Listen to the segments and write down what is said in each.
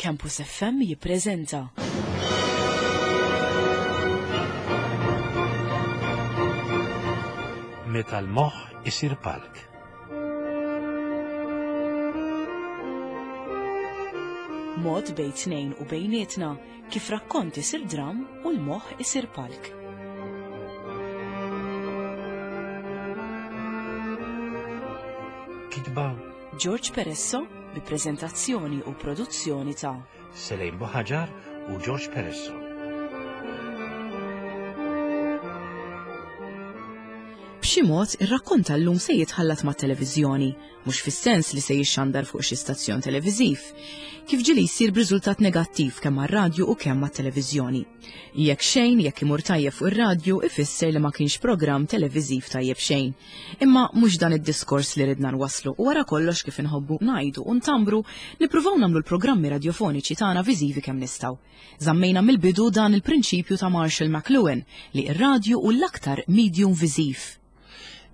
Campus FM jippreżenta. Meta l-moħħ isir palk. Mod bejn tnejn u bejnietna kif rakkont isir dram u l-moħħ isir palk. Kitba George Peresso bi preżentazzjoni u produzzjoni ta' Selejn Buħaġar u George Peresso. B'xi mod, ir-rakkont tal-lum se jitħallat mat-televiżjoni, mhux fis-sens li se jixxandar fuq xi stazzjon televiżiv, kif ġieli jsir b'riżultat negattiv kemm għar-radju u kemm għat-televiżjoni. Jekk xejn, jekk imur tajjeb fuq ir-radju, ifisser li ma kienx programm televiżiv tajjeb xejn. Imma mhux dan id-diskors li ridna nwasslu u wara kollox kif inħobbu ngħidu u ntambru, nippruvaw nagħmlu l-programmi radjofoniċi tagħna viżivi kemm nistgħu. Żammejna mill-bidu dan il-prinċipju ta' Marshall McLuhan li r-radju hu l-aktar medium viżiv.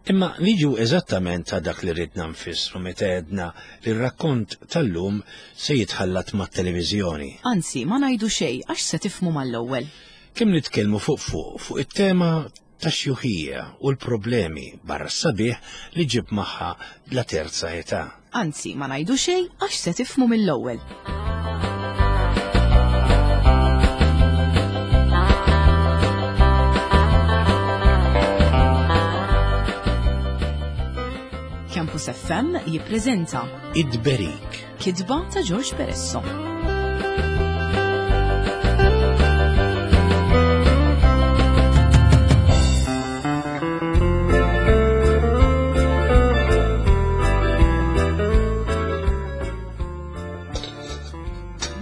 Imma niġu eżattament ta' dak li ridna nfissru meta għedna li r-rakkont tal-lum se jitħallat mat-televiżjoni. Anzi, ma ngħidu xejn għax se tifhmu mal-ewwel. Kemm nitkellmu fuq fuq fuq it-tema tax-xjuħija u l-problemi barra s-sabiħ li ġġib magħha la terza età. Anzi, ma ngħidu xejn għax se tifhmu mill-ewwel. Campus FM jippreżenta Id-Berik. Kitba ta' George Peresso.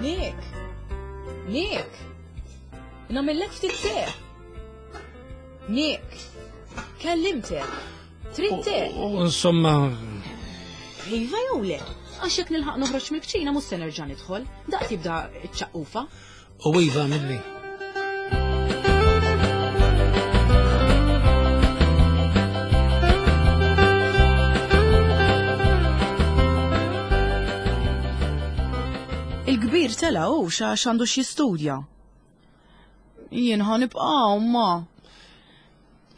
Nick! Nick! Namillek ftit te! Nick! Kellimtek! Trid te? Insomma. Iva jew le? Għax jekk nilħaq noħroġ mill-kċina mhux se nerġa' nidħol, daqs jibda ċ-ċaqqufa. U iva milli. Il-kbir tela u xax għandu x'jistudja. Jien ħa nibqa' ma.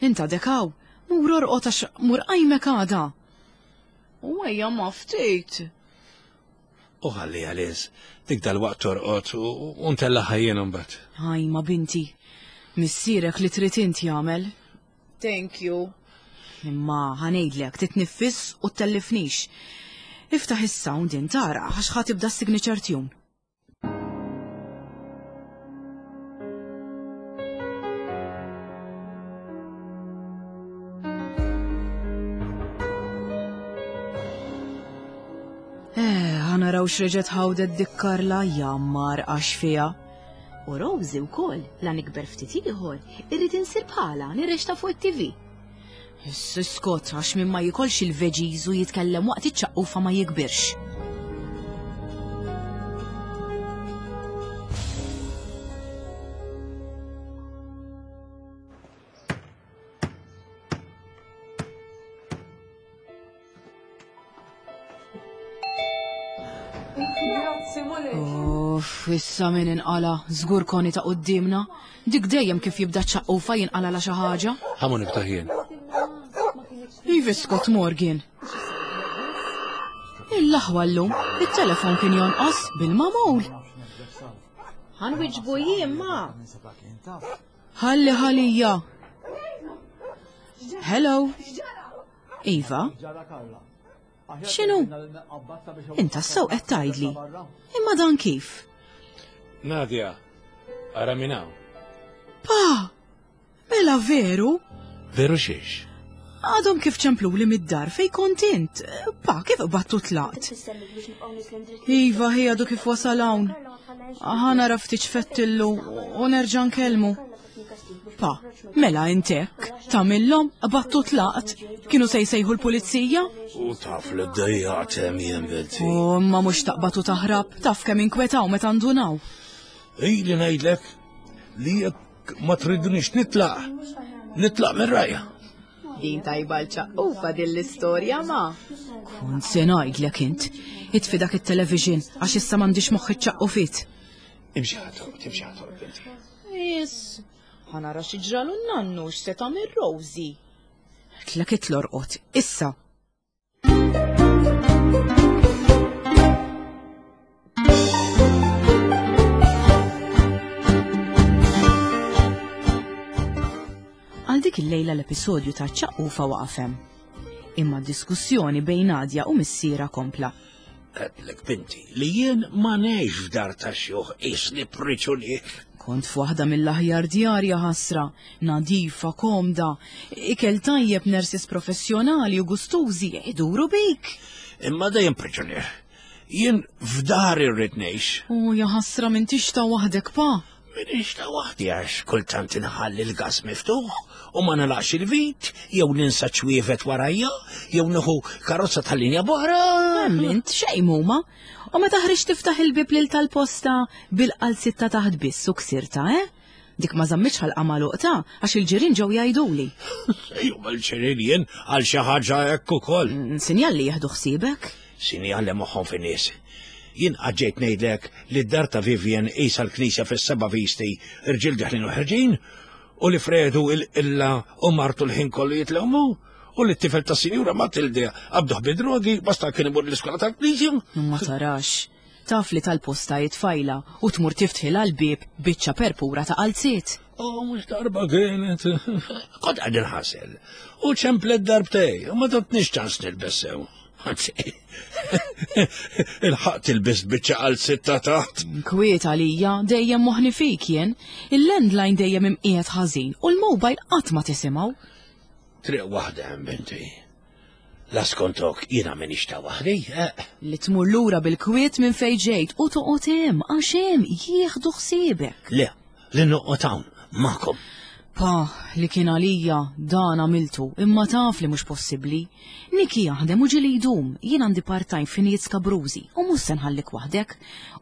Inta dekaw, mur orqod għax mur qajmek għada. U ejja ma ftit. U ħalliha Liz, dik dalwaqt torqod u ntellagħha jien imbagħad. Ajma binti, missierek li trid int jagħmel. Thank you. Imma ħa ngħidlek titniffis u ttellifnix. Iftaħ is-sound int ara għax ħa tibda s-signature tune. Eh, ħanaraw x'reġgħet ħawdet dik Karla jammar għax fiha. U Rosie wkoll, la nikber ftit ieħor, irrid insir bħala nirrexta fuq it-TV. Issa iskot għax min ma jikolx il-veggies u jitkellem waqt iċ-ċaqqufa ma jikbirx. Uff, issa min inqala, żgur koni ta' qudiemna. Dik dejjem kif jibda ċaqqufa jinqala la xi ħaġa. Ħamu niftaħ jien. Ivi Scott Morgan. Il-laħwa llum, it-telefon kien jonqos bil-mamul. Ħanwiġbu jien ma. Ħalli ħalija. Hello. Iva? X'inhu? Inta sew qed tgħidli. Imma dan kif? Nadia, ara minn hawn. Pa! Mela veru? Veru xiex? Għadhom kif ċempluli mid-dar fej kont int. Pa, kif qbattu tlaqt? Iva, hi għadu kif wasal hawn. Ħa nara ftit x'fettillu u nerġa' nkellmu. Pa, mela int hekk, tagħmilhom, qbadt u tlaqt, kienu se jsejħu l-pulizija? U taf li ddejjaqt hemm jien binti. U imma mhux taqbad u taħrab, taf kemm inkwetaw meta ndunaw. Ili ngħidlek li jekk ma tridnix nitlaq, nitlaq minn rajja. Din tajba l-ċaqqufa din l-istorja ma. Kont se ngħidlek int, itfi dak it-television għax issa m'għandix moħħ iċ-ċaqqufit. Imxi ħatorq, imxi ħatorq binti. Is, ħanara xi ġralu n-nannu x'se tagħmel Rosie. Tlek itlorqot, issa. Għal dik il-lejla l-episodju ta' ċaqqufa waqaf hemm. Imma d-diskussjoni bejn Nadia u missiera kompla. Għedlek binti li jien ma ngħix f'dar ta' xjuħ qisni priġunier. Kont f'waħda mill-aħjar djar ja ħasra, nadifa, komda, ikel tajjeb nurses professjonali u gustużi iduru bik. Imma dejjem priġunier. Jien f'dar irrid ngħix. U ja ħasra m'intix ta' waħdek pa. Minix ta' waħdi għax kultant inħalli l-gas miftuħ u ma nalaqx il-vit, jew ninsa ċwievet warajja, jew nieħu karozza tal-linja boħra. Emmint xejn huma. U meta ħriġt tiftaħ il-bib lil tal-posta bil-qalzit ta' taħt biss u ksirta, eh? Dik ma żammitx ħalqa magħluq ta' għax il-ġirien ġew jgħiduli. Ejju mal-ġirien jien għal xi ħaġa hekk ukoll. Mm, sinjal li jieħdu ħsiebek? Sinjal li moħħhom fin-nies. Jien qatt ġejt ngħidlek li d-dar ta' Vivian qisha l-knisja fis-seba' visti, irġiel deħlin u ħerġin, u li Fredu il-qilla u martu l-ħin kollu jitlewmu, u li t-tifel tas-Sinjura Matilde qabduh bid-drogi basta kien imur l-iskola tal-knisja. Ma tarax. Taf li tal-posta hi tfajla u tmur tiftħilha l-bieb biċċa perpura ta' qalziet. Oh, mhux darba kienet. Kont qed inħasel. U ċemplet darbtej, u ma tatniex ċans nilbes sew. Anzi, il-ħaq tilbis biċċa għal sitta taħt. Kwiet għalija, dejjem moħni fik jien. Il-landline dejjem imqiegħed ħażin u l-mobile qatt ma tisimgħu. Triq waħda hemm binti. La skontok jiena minix ta' waħdi. Eh. Li tmur lura bil-kwiet minn fejn ġejt u toqgħod hemm għax hemm jieħdu ħsiebek. Le, li noqgħod hawn magħkom. Pa, li kien għalija dan għamiltu, imma taf li mhux possibbli. Niki jaħdem u ġieli jdum, jien għandi part-time f'ħinijiet skabrużi u mhux se nħallik waħdek.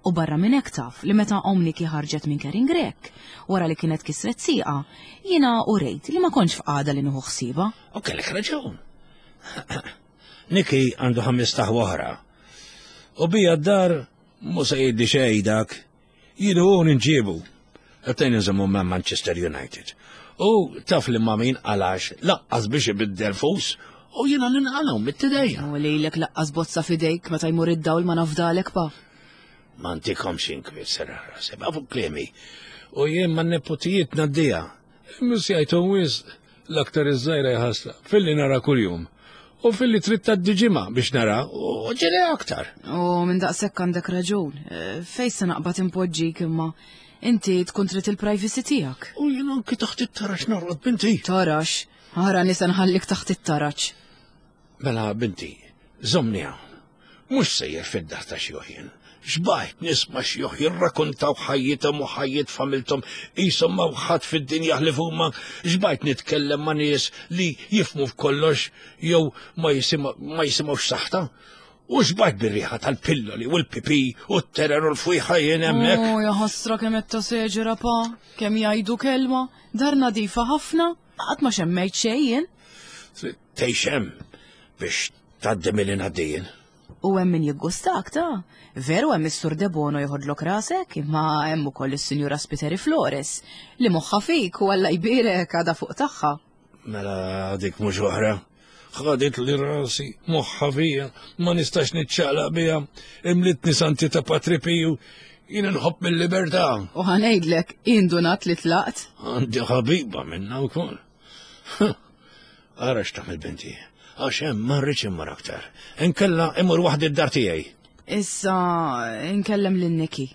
U barra minn hekk taf li meta omm Niki ħarġet minn Kering Grech, wara li kienet kisret sieqha, jiena urejt li ma kontx f'qagħda li nieħu ħsiebha. U kellek raġun. Niki għandu ħames taħwa oħra. U bija d-dar mhu se jgħidli xejn dak. Jien u ninġiebu. Qed nżommu ma' Manchester United. U taf li ma min għalax laqqas biex ibiddel fus u jiena ninqalgħu mit-tidejja. U lejlek laqqas bozza fidejk meta jmur id-dawl ma nafdalek pa. Ma ntikomx inkwiet serraħ rasi, ma fuq kliemi. U jien ma nepotijiet naddija. Mhux jgħidhom wisq l-aktar iż-żgħira jħassra filli nara kuljum. U filli trid tgħaddi ġimgħa biex nara u ġieli aktar. U minn daqshekk għandek raġun. Eh, Fejn se naqbad impoġġik imma inti tkun trid il-privacy tiegħek. U jien anki taħt it-tarax norqod binti. Tarax, ara nisa nħallik taħt it-taraġ. Mela binti, żommni hawn. Mhux sejjer fid-dar ta' xjuħ jien. Xbajt nisma' xjuħ jirrakuntaw ħajjithom u ħajjiet familthom qishom ma ħadd fid-dinja ħlief huma. Xbajt nitkellem ma' nies li jifhmu f'kollox jew ma jisimgħux saħta. U xbajt bir-riħa tal-pilloli u l-pipi u t-terer u l-fwieħa jien hemmhekk. Oh, ja ħasra kemm qed taseġera pa, kemm jgħidu kelma, dar nadifa ħafna, qatt ma xemmejt xejn jien. Trid tgħix hemm biex tgħaddi milli ngħaddi jien. U hemm min jiggustak ta' veru hemm is-Sur Debono joħodlok rasek, imma hemm ukoll is-Sinjura Spiteri Flores li moħħha fik u Alla jbierek għadha fuq tagħha. Mela dik mhux oħra. Ħadet li rasi, moħħha fija, ma nistax niċċaqlaq biha, imlitni santi ta' Patri Piju, jien inħobb mill-libertà. U ħanejdlek, indunat li tlaqt. Għandi ħabiba minna wkoll. Ara x'tagħmel binti. Għax hemm ma rridx immur aktar. Inkella immur waħdi d-dar tiegħi. Issa inkellem lil Niki.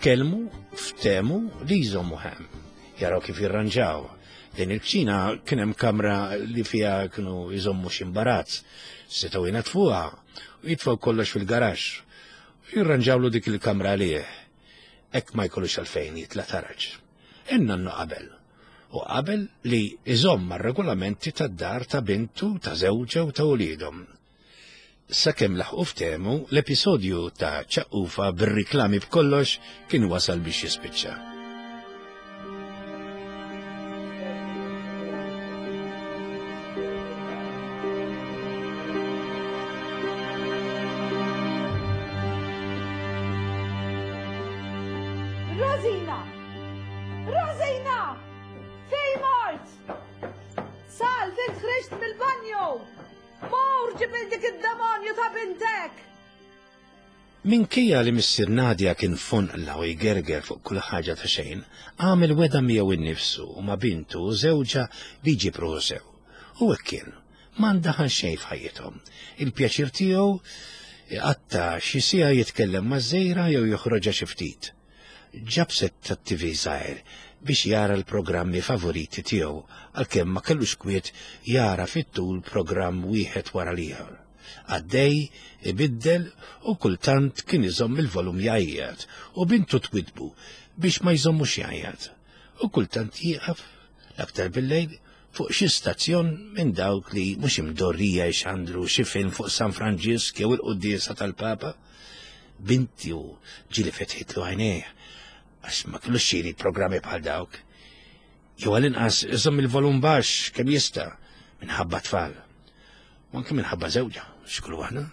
Tkellmu ftehmu li jżommu hemm, jaraw kif jirranġaw. Din il-kċina kien hemm kamra li fiha kienu jżommu xi imbarazz, setgħu jnaddfuha u jitfgħu kollox fil-garaxx u jirranġawlu dik il-kamra għalih. Hekk ma jkollux għalfejn jitla' taraġ. In-nannu qabel. U qabel li iżomm mar-regolamenti tad-dar ta' bintu, ta' żewġha u ta' uliedhom. Sakemm laħqu ftehmu, l-episodju ta' ċaqqufa bir-riklami b'kollox kien wasal biex jispiċċa. Rosina! Rosina! Fej mort! Salv, int ħriġt mill-banju! Mur ġib dik id-demonju ta' bintek! Minkejja li missier Nadia kien fonqla u jgerger fuq kull ħaġa ta' xejn, għamel wegħda miegħu nnifsu u ma' bintu u żewġha li jġib ruħu sew. U hekk kien. Ma ndaħal xejn f'ħajjithom. Il-pjaċir tiegħu iqatta' xi siegħa jitkellem maż-żgħira jew joħroġha xi ftit. Ġab sett tat-TV żgħir biex jara l-programmi favoriti tiegħu għalkemm ma kellux kwiet jara fit-tul programm wieħed wara l-ieħor. Għaddej, ibiddel u kultant kien iżomm il-volum jgħajjat u bintu twidbu biex ma jżommux jgħajjat. U kultant jieqaf, l-aktar bil-lejl, fuq xi stazzjon minn dawk li mhux imdorrija jxandru xi film fuq San Franġisk jew il-quddiesa tal-Papa. Binti u ġieli fetħitlu għajnejh għax ma kellux xiri programmi bħal dawk. Jew għal-inqas iżomm il-volum baxx kemm jista' minħabba tfal. U anke minħabba żewġha, x'kull aħna.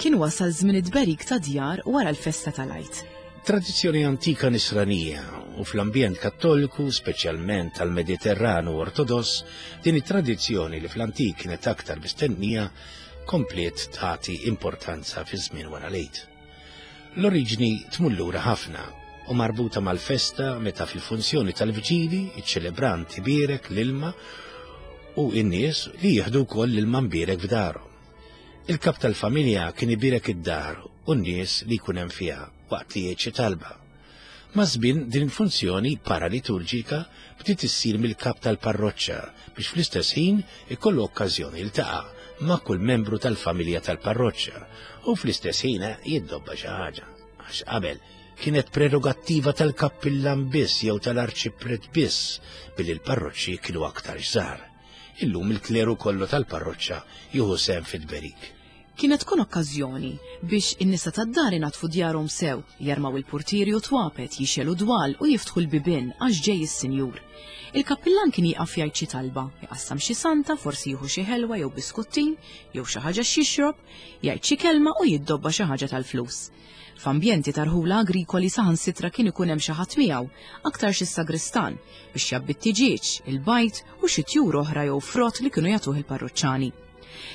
Kien wasal żmien it-tberik ta' djar wara l-festa tal-Għid. Tradizzjoni antika nisranija u fl-ambjent kattoliku, speċjalment tal-Mediterran u Ortodoss, din it-tradizzjoni li fl-antik kienet aktar mistennija kompliet tagħti importanza fi żmien wara l-Għid. L-oriġni tmur lura ħafna u marbuta mal-festa meta fil-funzjoni tal-vġili iċ-ċelebrant ibierek l-ilma u n-nies li jieħdu wkoll l-ilma mbierek f'darhom. Il-kap tal-familja kien ibierek id-dar u n-nies li jkun hemm fiha waqt li jgħid xi talba. Maż-żmien din il-funzjoni paraliturġika bdiet issir mill-kap tal-parroċċa biex fl-istess ħin ikollu okkażjoni jiltaqa' ma' kull membru tal-familja tal-parroċċa u fl-istess ħin jiddobba xi ħaġa. Għax qabel kienet prerogattiva tal-kappillan biss jew tal-arċipriet biss billi l-parroċċi kienu aktar żgħar. Illum il-kleru kollu tal-parroċċa jieħu sehem fit-tberik. Kienet tkun okkażjoni biex in-nisa tad-dar inaddfu djarhom sew, jarmaw il-purtieri u t-twapet, jixegħlu dwal u jiftħu l-bibien għax ġej is-sinjur. Il-kappillan kien jieqaf jgħid xi talba, iqassam xi santa, forsi jieħu xi ħelwa jew biskuttin, jew xi ħaġa x'jixrob, jgħid xi kelma u jiddobba xi ħaġa tal-flus. F'ambjenti ta' rħula agrikoli saħansitra kien ikun hemm xi ħadd miegħu, aktarx is-sagristan, biex jgħabbi t-tiġieġ, il-bajd u xi tjur oħra jew frott li kienu jagħtuh il-parruċċani.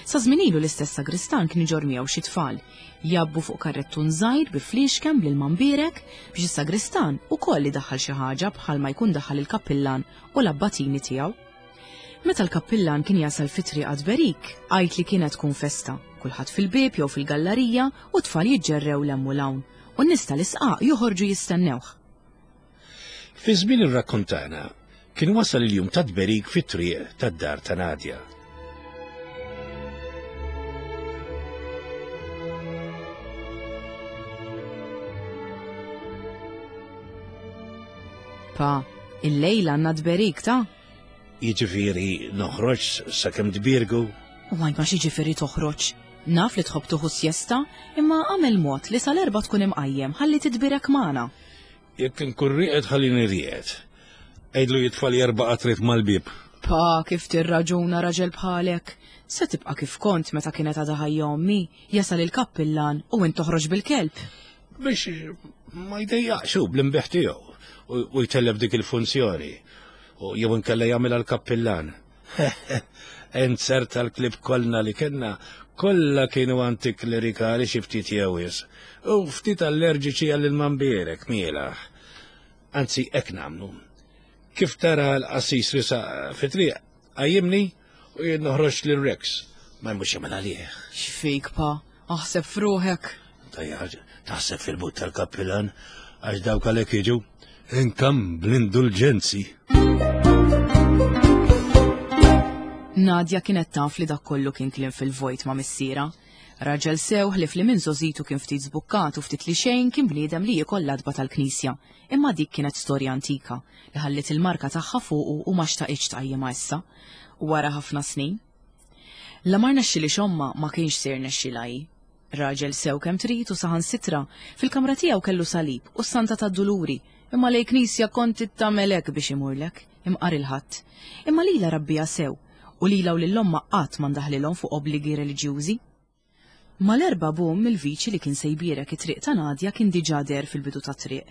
Sa żmien ilu l-istess sagristan kien iġorr miegħu xi tfal, jgħabbu fuq karrettun żgħir bi fliexken bl-ilma mbierek biex is-sagristan ukoll idaħħal xi ħaġa bħalma jkun daħħal il-kappillan u l-abbatini tiegħu. Meta l-kappillan kien jasal fit-triq għat-tberik, għid li kienet tkun festa, kulħadd fil-bieb jew fil-gallarija u t-tfal jiġġerrew 'l hemm u 'l hawn, u n-nies tal-isqaq joħorġu jistennewh. Fi żmien ir-rakkont tagħna, kien wasal il-jum tat-tberik fit-triq tad-dar ta' Nadia. Pa, illejla għandna tberik ta'? Jiġifieri noħroġ sakemm tbiergu? U għajma x'jiġifieri toħroġ? Naf li tħobb tieħu sjesta, imma agħmel mod li sal-erbgħa tkun imqajjem ħalli titbierek magħna. Jekk inkun rieqed ħallini rieqed. Għidlu jitfali erba' qatriet mal-bieb. Pa, kif tirraġuna raġel bħalek? Se tibqa' kif kont meta kienet għadha ħajja ommi, jasal il-kappillan u int toħroġ bil-kelb. Biex ma jdejjaqx hu bl-imbiħ tiegħu u jtellef dik il-funzjoni. U jew inkella jagħmilha l-kappillan. Ent tal-klib kollna li kellna, kollha kienu antiklerikali xi ftit jew wisq, u ftit allerġiċi għall-ilma mbierek, mielaħ. Anzi, hekk nagħmlu. Kif tara l-qassis risaq fit-triq, qajjimni u jien noħroġ lil Rex. Ma jmux jagħmel għalih. X'fik, pa? Aħseb f'ruħek. Tajja, taħseb fil-but tal-kappillan, għax dawk għalhekk jiġu. Inkam bl-indulġenzi. Nadja kienet taf li dak kollu kien kliem fil-vojt ma' missiera. Raġel sew ħlief li minn żgħożitu kien ftit żbukkat u ftit li xejn kien bniedem li jiekol l-għatba tal-knisja. Imma dik kienet storja antika li ħalliet il-marka tagħha fuqu u ma xtaqitx tqajjimha issa. U wara ħafna snin. La ma rnexxilhiex ommha ma kienx se jirnexxilha hi. Raġel sew kemm trid u saħansitra, fil-kamra tiegħu kellu salib u s-Santa tad-Duluri, imma lejn knisja kont tagħmel hekk biex imurlek, imqar il-Ħadd. Imma lilha rabbiha sew, u lilha u lil ommha qatt ma ndaħlilhom fuq obbligi reliġjużi. Mal-erbgħa bum il-viċi li kien se jbierek it-triq ta' Nadia kien diġà deher fil-bidu tat-triq.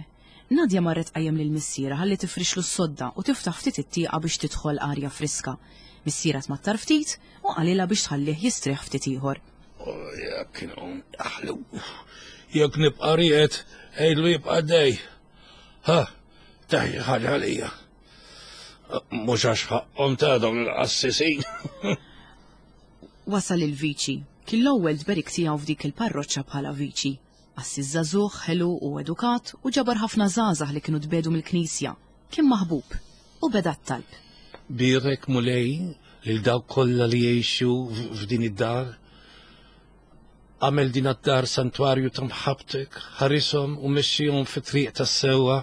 Nadia marret tqajjem lil missierha ħalli tifrixlu s-sodda u tiftaħ ftit it-tieqa biex tidħol arja friska. Missierha tmattar ftit u qalilha biex tħallih jistrieħ ftit ieħor. Jekk inqum aħlu. Jekk nibqa' rieqed, għidlu jibqa' dej. Ha, taħi ħaġa għalija. Mhux għax ħaqqhom ta' dawn il-qassisin. Wasal il-viċi. Kien l-ewwel tberik tiegħu f'dik il-parroċċa bħala viċi. Qassis żagħżugħ, ħelu u edukat u ġabar ħafna żgħażagħ li kienu tbiegħdu mill-Knisja. Kien maħbub. U beda t-talb. Bierek, Mulej, lil dawk kollha li jgħixu f'din id-dar. Agħmel din d-dar santwarju ta' mħabbtek, ħarishom u mexxihom fit-triq tas-sewwa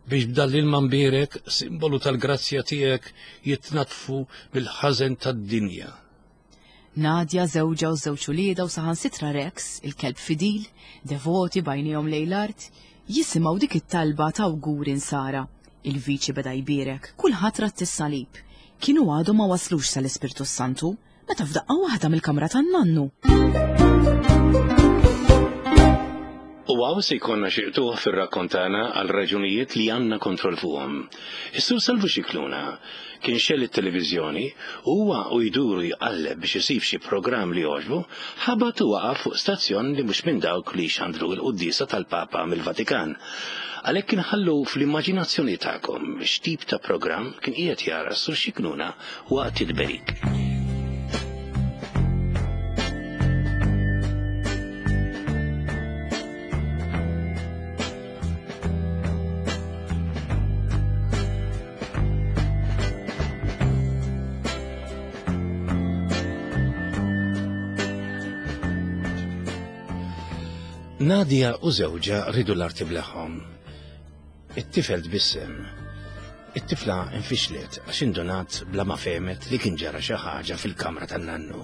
biex b'dan l-ilma mbierek, simbolu tal-grazzja tiegħek, jitnaddfu mill-ħażen tad-dinja. Nadia, żewġha u ż-żewġ uliedha u saħansitra Rex, il-kelb fidil, devoti b'għajnejhom lejn l-art, jisimgħu dik it-talba ta' awguri Nsara. Il-viċi beda jbierek, kulħadd radd is-salib. Kienu għadhom ma waslux sal-Ispirtu s-Santu, meta f'daqqa waħda mill-kamra tan-nannu. U hawn se jkollna xi qtugħ fir-rakkont tagħna għal raġunijiet li għandna kontroll fuqhom. Is-Sur Salvu Scicluna kien xegħel it-televiżjoni u huwa u jdur u jqalleb biex isib xi programm li jogħġbu, ħabat u waqa' fuq stazzjon li mhux minn dawk li jxandru l-quddiesa tal-Papa mill-Vatikan. Għalhekk inħallu fl-immaġinazzjoni tagħkom x'tip ta' programm kien qiegħed jara s-Sur Scicluna waqt it-tberik. Nadia u żewġha ridu l-arti bleħħom. It-tifel tbissem. It-tifla infixlet għax indunat bla ma fehmet li kien ġara xi ħaġa fil-kamra tan-nannu.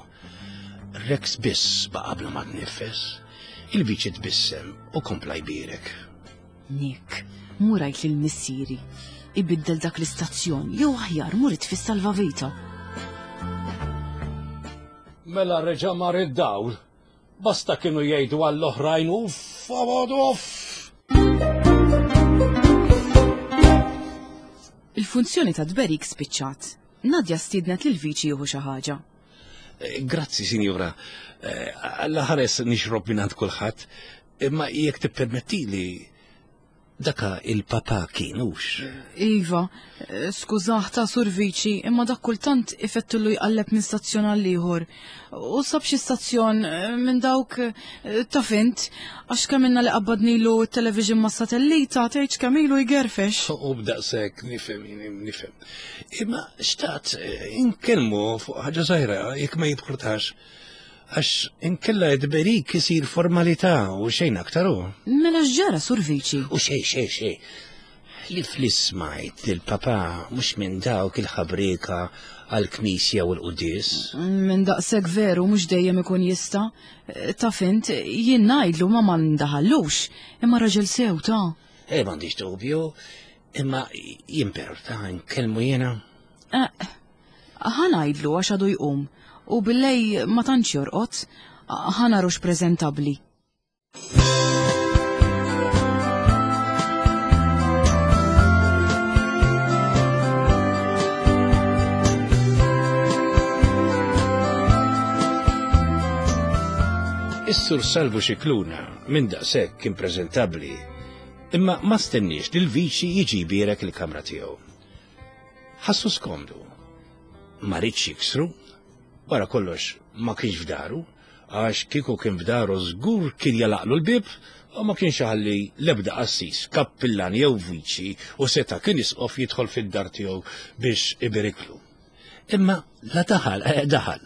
Rex biss baqa' bla ma tniffes. Il-viċi tbissem u kompla jbierek. Nick, mur għid lil missieri ibiddel dak l-istazzjon jew aħjar mur itfi s-salvavita. Mela reġa' mar id-dawl. Basta kienu jgħidu għall-oħrajn uff, uff. Il-funzjoni ta' tberik spiċċat. Nadja stiednet lil viċi jieħu xi ħaġa. Eh, grazzi, sinjura. Eh, alla ħares nixrob minn għand kulħadd. Imma jekk tippermettili, daka il-papa kien hux. Iva, skużah ta' Sur Viċi, imma dak kultant ifettullu jqalleb minn stazzjon għal ieħor. U sab xi stazzjon eh, minn dawk eh, ta' fint, għax kemm ilna li qabbadnilu t-television ma' satellita, tgħidx kemm ilu jgerfex. U b'daqshekk nifhem nifhem. Imma xtaqt eh, inkellmu fuq ħaġa żgħira jekk ma jibħurtax. Għax inkella id-berik isir formalità u xejn aktar u. Mela x'ġara Sur Viċi? U xejn xejn xejn. Li fl-ismajt li l-papa mhux minn dawk il-ħabrieka għall-knisja u l-quddies. Minn daqshekk veru mhux dejjem ikun jista'. Taf int, jien ngħidlu ma ma ndaħallux, imma raġel sew ta'. Eh m'għandix dubju, imma jimperta nkellmu jiena. Eh, Ħa ngħidlu għax għadu jqum u billej ma tantx jorqod, ħa narux preżentabbli. Is-Sur Salvu Scicluna minn daqshekk kien preżentabbli, imma ma stenniex li l-viċi jiġi jbierek il-kamra tiegħu. Ħassu skomdu. Ma riedx jiksru, wara kollox ma kienx f'daru, Għax kieku kien f'daru żgur kien jalaqlu l-bieb u ma kienx iħalli l-ebda qassis, kappillan jew viċi u seta' kien isqof jidħol fid-dar tiegħu biex ibiriklu. Imma la daħal, eh, daħal.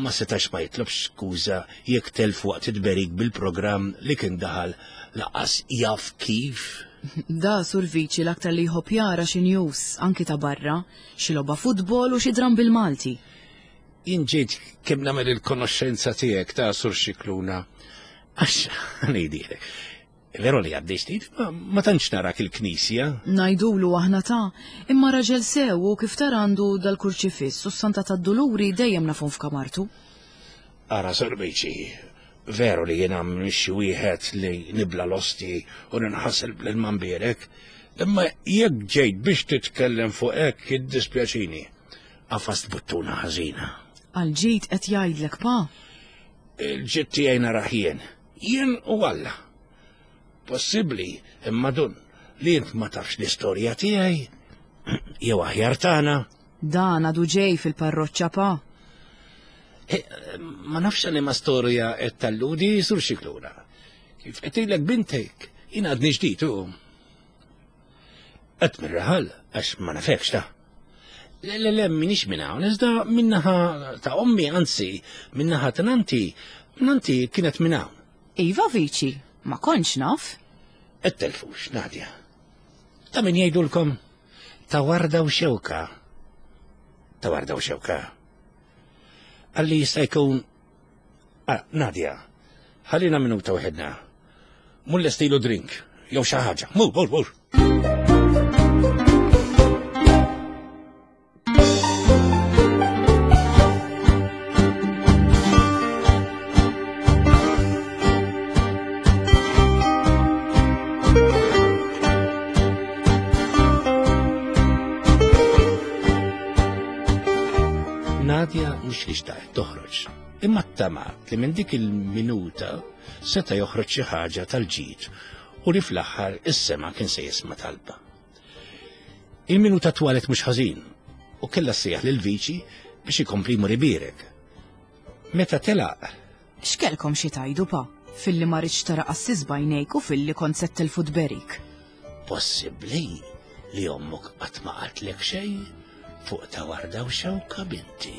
Ma setax ma jitlobx skuża jekk telf waqt it-tberik bil-programm li kien daħal laqas jaf kif. Da sur viċi l-aktar li jħobb jara xi news anki ta' barra, xi logħba futbol u xi dram bil-Malti. Jien ġejt kemm nagħmel il-konoxxenza tiegħek ta' Sur Xikluna. Għax ngħidilek. Veru li għaddej ftit, ma tantx narak il-knisja. Ngħidulu aħna ta' imma raġel sew u kif tara għandu dal-kurċifiss u s-Santa tad-Duluri dejjem nafhom f'kamartu. Ara Sur Biċi, veru li jiena mhix xi wieħed li nibla l-osti u ninħasel bl-ilma mbierek, imma jekk ġejt biex titkellem fuq hekk jiddispjaċini. Għafast buttuna ħażina. Għall-ġid qed jgħidlek, pa. Il-ġid tiegħi narah jien. Jien u Alla. Possibbli, imma dun, li int ma tafx l-istorja tiegħi, jew aħjar tagħna. Dan għadu ġej fil-parroċċa, pa. Eh, ma nafx għal ma storja qed talludi sur xiklura. Kif qed tgħidlek bintek, jien għadni ġdid u. Qed mir-raħal għax ma nafekx ta'. Le, le, le, minix minn hawn, iżda minnaħa ta' ommi, anzi, minnaħa ta' nanti, nanti kienet minn hawn. Iva viċi, ma kontx naf. Qed telfux, Nadja. Ta' min jgħidulkom ta' warda u xewka. Ta' warda u xewka. Għalli jista' jkun Ah, Nadja, ħallina minuta waħedna. Mur lestilu drink, jew xi ħaġa. Mur, mur, mur. Nadja mhux li xtaqet toħroġ. Imma ttamat li minn dik il-minuta seta' joħroġ xi ħaġa tal-ġid u li fl-aħħar is-sema kien se jisma' talba. Il-minuta twalet mhux ħażin u kellha ssejjaħ lil viċi biex ikompli jmur ibierek. Meta telaq. X'kellkom xi tgħidu pa? Filli ma ridtx tara qassis b'għajnejk u filli kont se ttilfu tberik. Possibbli li ommok qatt ma qaltlek xejn fuq ta' warda u xewka binti?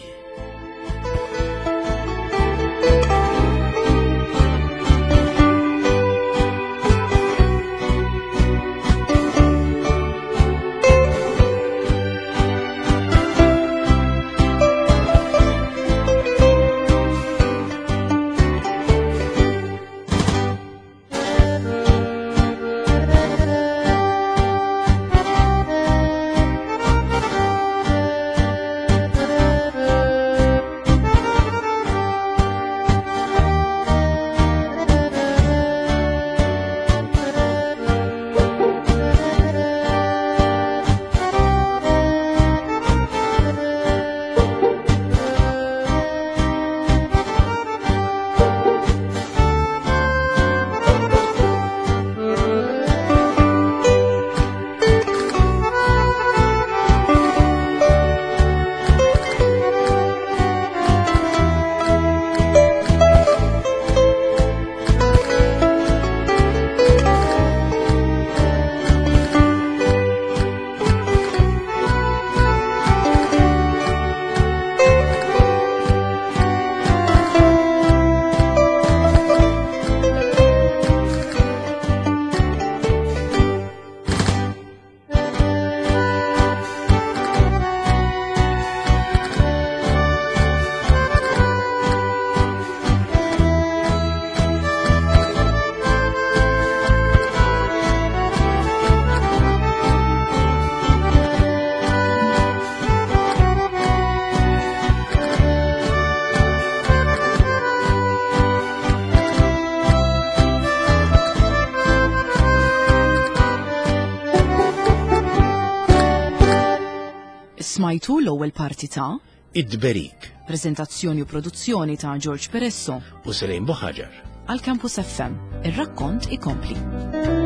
Smajtu l-ewwel parti ta' Id-Tberik. Preżentazzjoni u produzzjoni ta' George Peresso u Selene Buħaġar. Għal Campus FM, ir-rakkont ikompli.